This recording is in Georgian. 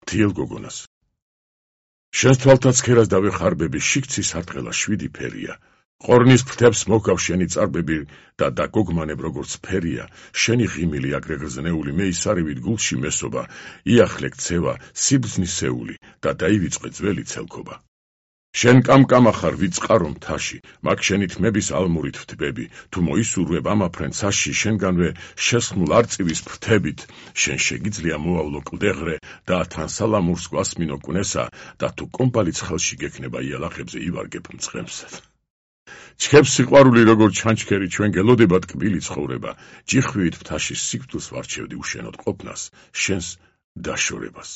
მთიელ გოგონას. შენს თვალთაც ქერას დავეხარბები, შიგცის არტყელა 7 ფერია. ყორნის ფრთებს მოგავ შენი წარბები და დაგოგმანებ როგორც ფერია, შენი ღიმილი აგრე გრძნეული მე ისარივით გულში მესობა, იახლე ქცევა, სიბრძნისეული და დაივიწყე ძველი ცელქობა. შენ კამკამა ხარ ვიწყარო მთაში, მაგ შენი თმების ალმურით ვთბები, თუ მოისურვებ ამაფრენ ცაში, შენგანვე შესხმულ არწივის ფრთებით, შენ შეგიძლია მოავლო კლდეღრე და თან სალამურს გვასმინო კვნესა და თუ კომპალიც ხელში გექნება იალახებზე ივარგებ მწყემსად. ჩქებს სიყვარული როგორ ჩანჩქერი ჩვენ გელოდებათ კბილი ცხოვრება, ჯიხვივით მთაში სიკვდილს ვარჩევდი უშენოდ ყოფნას, შენს დაშორებას.